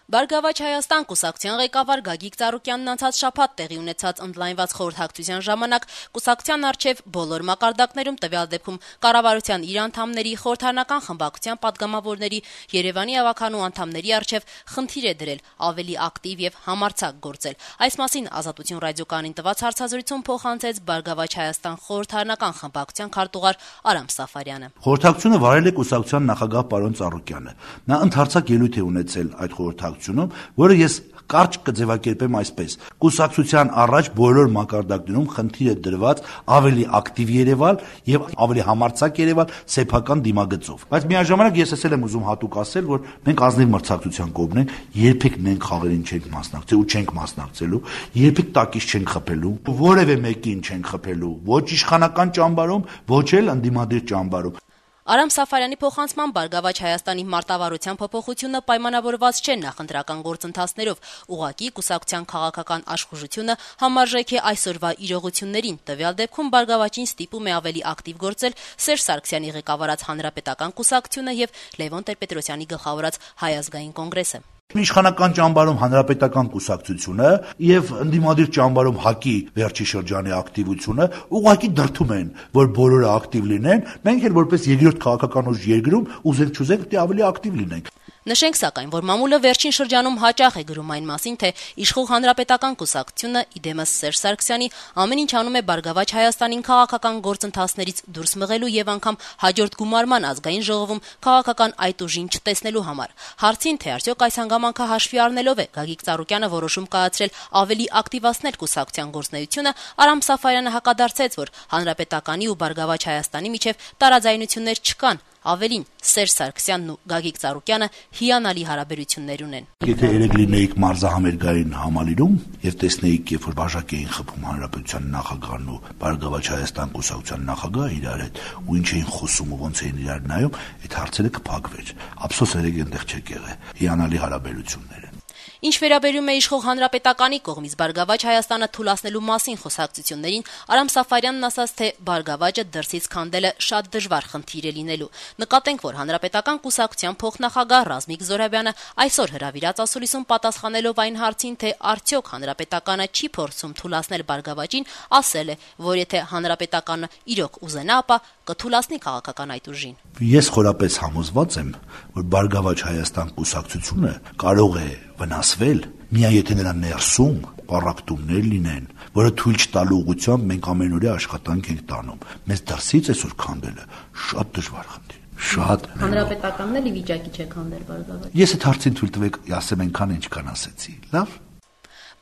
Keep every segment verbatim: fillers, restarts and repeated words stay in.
Բարգավաճ Հայաստան կուսակցության ղեկավար Գագիկ Ծառուկյանն անցած շաբաթ տեղի ունեցած ընդլայնված խորհրդակցության ժամանակ կուսակցության առջև բոլոր մակարդակներում, տվյալ դեպքում կառավարության իր անդամների, խորհրդարանական խմբակցության պատգամավորների, Երևանի ավականու անդամների առջև խնդիր է դրել ավելի ակտիվ եւ համարձակ գործել։ Այս մասին Ազատություն ռադիոկայանին տված հարցազրույցում փոխանցեց Բարգավաճ Հայաստան խորհրդարանական խմբակցության քարտուղար Արամ Սաֆարյանը։ Խորհրդակցությունը վարել է կուսակցության նախագահ պարոն Ծառուկյանը։ Նա ընդհանրացակ ելույթ է ունեցել այդ խորհրդակցությունում, որը ես կարճ կձևակերպեմ այսպես. կուսակցության առաջ բոլոր մակարդակներում խնդիր է դրված ավելի ակտիվ երևալ եւ ավելի համարձակ երևալ սեփական դիմագծով։ Բայց միաժամանակ ես ասել եմ ուզում հատուկ ասել, որ մենք ազնիվ մրցակցության կողմն ենք, երբեք մենք խաղերին չենք մասնակցել ու չենք մասնակցելու, երբեք տակից չենք խփելու, որևէ մեկին չենք խփելու, ոչ իշխանական ճամբարում, ոչ էլ ընդդիմադիր ճամբարում։ Արամ Սաֆարյանի փոխանցման Բարգավաճ Հայաստանի մարտավարության փոփոխությունը պայմանավորված չէ նախընտրական գործընթացներով, ուղղակի կուսակցության քաղաքական աշխուժությունը համարժեք է այսօրվա իրողություններին, տվյալ դեպքում Բարգավաճին ստիպում է ավելի ակտիվ գործել Սերժ Սարգսյանի ղեկավարած Հանրապետական կուսակցությունը եւ Լևոն Տեր-Պետրոսյանի գլխավորած Հայ ազգային կոնգրեսը։ Իշխանական ճամբարում Հանրապետական կուսակցությունը եւ ընդդիմադիր ճամբարում ՀԱԿ-ի վերջի շրջանի ակտիվությունը ուղղակի դրդում են, որ բոլորը ակտիվ լինեն, մենք էլ որպես երկրորդ քաղաքական ուժ երկրում ուզենք չուզենք պետք է ավելի ակտիվ լինենք։ Նշենք սակայն, որ մամուլը վերջին շրջանում հաճախ է գրում այն մասին, թե իշխող Հանրապետական կուսակցությունը, իդեմս Սերժ Սարգսյանի, ամեն ինչ անում է Բարգավաճ Հայաստանին քաղաքական գործընթացներից դուրս մղելու եւ անգամ հաջորդ գումարման ազգային ժողովում քաղաքական այդ ուժին չտեսնելու համար։ Հարցին, թե արդյոք այս հանգամանքը հաշվի առնելով է Գագիկ Ծառուկյանը որոշում կայացրել ավելի ակտիվացնել կուսակցության գործունեությունը, Արամ Սաֆարյանը հակադարձեց, որ Հանրապետականի ու Բարգավաճ Հայաստանի միջև տարաձայնություններ չկան։ Ավելին, Սերժ Սարգսյանն ու Գագիկ Ծառուկյանը հիանալի հարաբերություններ ունեն։ Եթե երեք լինեիք մարզահամերգային համալիրում եւ տեսնեիք, երբ որ բաժակ էին խփում Հանրապետության նախագահն ու Բարգավաճ Հայաստան կուսակցության նախագահը իրար հետ, ու ինչ էին խոսում ու ոնց էին իրար նայում, այդ հարցերը կփակվեր։ Ափսոս երեք այնտեղ չեք եղել։ Հիանալի հարաբերություններ են։ Ինչ վերաբերում է իշխող Հանրապետականի կողմից Բարգավաճ Հայաստանը թույլատնելու մասին խոսակցություններին, Արամ Սաֆարյանն ասաց, թե Բարգավաճը դրսից քանդելը շատ դժվար խնդիր է լինելու։ Նկատենք, որ Հանրապետական կուսակցության փոխնախագահ Ռազմիկ Զոհրաբյանը այսօր հրավիրած ասուլիսում պատասխանելով այն հարցին, թե արդյոք Հանրապետականը չի փորձում թույլատնել Բարգավաճին, ասել է, որ եթե Հանրապետականը իրոք ուզենա, ապա կթույլատնի քաղաքական այդ ուժին։ Ես խորապես համոզված եմ, որ Բարգավաճ Հայաստան կուսակցությունը կարող է վնասվել, միայն եթե նրա ներսում պառակտումներ լինեն, որը թույլ չտալու ուղղությամբ մենք ամենօրյա աշխատանք ենք տանում։ Մեզ դրսից այսօր քանդելը շատ դժվար խնդիր է։ Շատ Հանրապետականն էլ ի վիճակի չէ քանդել Բարգավաճ։ Ես այդ հարցին թույլ տվեք, ասեմ այնքան ինչքան ասեցի։ Լավ։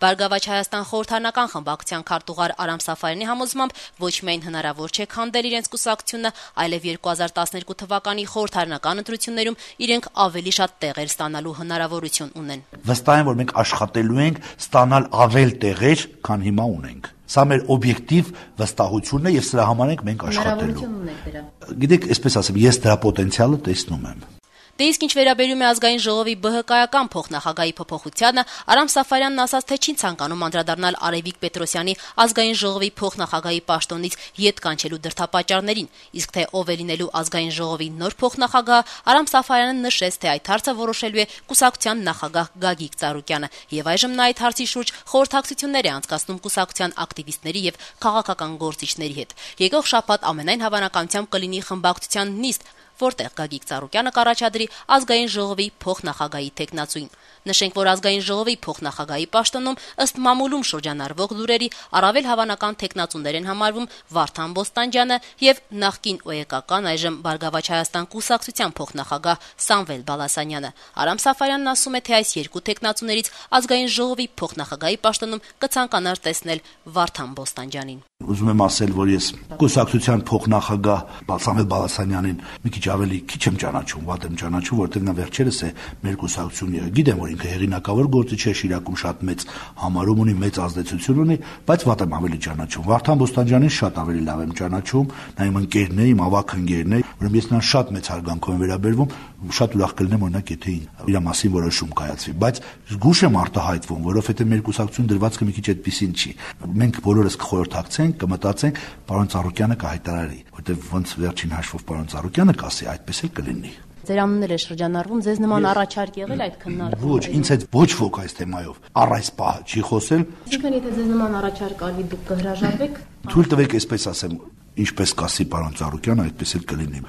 Բարգավաճ Հայաստան խորհրդարանական խմբակցության քարտուղար Արամ Սաֆարյանի համոզմամբ ոչ միայն հնարավոր չէ քանդել իրենց կուսակցությունը, այլև երկու հազար տասներկու թվականի խորհրդարանական ընտրություններում իրենք ավելի շատ տեղեր ստանալու հնարավորություն ունեն։ Վստահ եմ, որ մենք աշխատելու ենք ստանալ ավել տեղեր, քան հիմա ունենք։ Սա մեր օբյեկտիվ վստահությունն է եւ սրա համար ենք մենք աշխատելու։ Հնարավորություն ունենք դրա։ Գիտեք, այսպես ասեմ, ես դրա պոտենցիալը տեսնում եմ։ Դե իսկ ինչ վերաբերում է ազգային ժողովի ԲՀԿ-ական փոխնախագահի փոփոխությանը, Արամ Սաֆարյանն ասաց, թե չի ցանկանում անդրադառնալ Արևիկ Պետրոսյանի ազգային ժողովի փոխնախագահի պաշտոնից ետ կանչելու դրդապատճառներին, իսկ թե ով է լինելու ազգային ժողովի նոր փոխնախագահ, Արամ Սաֆարյանը նշեց, թե այդ հարցը որոշելու է կուսակցության նախագահ Գագիկ Ծառուկյանը, եւ այժմ նա այդ հարցի շուրջ խորհրդակցություններ է անցկացնում կուսակցության ակտիվիստների եւ քաղաքական գործիչների հետ։ Եկող շաբաթ ամենայն հավանականությամբ կլինի խմբակցության նիստ, որտեղ Գագիկ Ծառուկյանը կառաջադրի ազգային ժողովի փոխնախագահի թեկնածուին։ Նշենք, որ ազգային ժողովի փոխնախագահի պաշտոնում ըստ մամուլում շրջանառվող լուրերի առավել հավանական թեկնածուներ են համարվում Վարդան Բոստանջյանը եւ նախկին ՕԵԿ-ական այժմ Բարգավաճ Հայաստան կուսակցության փոխնախագահ Սամվել Բալասանյանը։ Արամ Սաֆարյանն ասում է, թե այս երկու թեկնածուներից ազգային ժողովի փոխնախագահի պաշտոնում կցանկանար տեսնել Վարդան Բոստանջյանին։ Ուզում եմ ասել, որ ես կուսակցության փոխնախագահ Սամվել Բալասանյանին մի քիչ ավելի քիչ եմ ճանաչում, վատ եմ ճանաչում, որտեղ նա վերջերս է մեր կուսակցություն եղել։ Գիտեմ, որ ինքը հեղինակավոր գործիչ է, Շիրակում շատ մեծ համարում ունի, մեծ ազդեցություն ունի, բայց վատ եմ ավելի ճանաչում։ Վարդան Բոստանջյանին շատ ավելի լավ եմ ճանաչում, նա իմ ընկերն է, իմ ավագ ընկերն է, ուրեմն ես նրան շատ մեծ հարգանքով եմ վերաբերվում, շատ ուրախ կլինեմ օրինակ եթե իր մասին որոշում կայացվի, բայց զգուշ եմ արտահայտվում, որովհետև մեր կուսակցություն դրվածքը մի քիչ այդպեսին չի։ Մենք բոլորս կխորհրդակցենք, կմտածենք, պարոն Ծառուկյանը կհայտարարի, որտեղ ոնց վերջին հաշվով պարոն Ծառուկյանը կասի, այդպես էլ կլինի։ Ձեր անուններ է շրջանառվում, ձեզ նման առաջարկ եղել այդ քննարկումը։ Ոչ, ինձ հետ ոչ ոք այս թեմայով առ այս պահը չի խոսել։ Ինչքան եթե ձեզ նման առաջարկ արվի, դուք կհրաժարվեք։ Թույլ տվեք այսպես ասեմ, ինչպես կասի պարոն Ծառուկյան, այդպես էլ կլինի։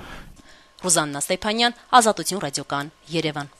Ռուզաննա Ստեփանյան, Ազատություն ռադիոկան, Երևան։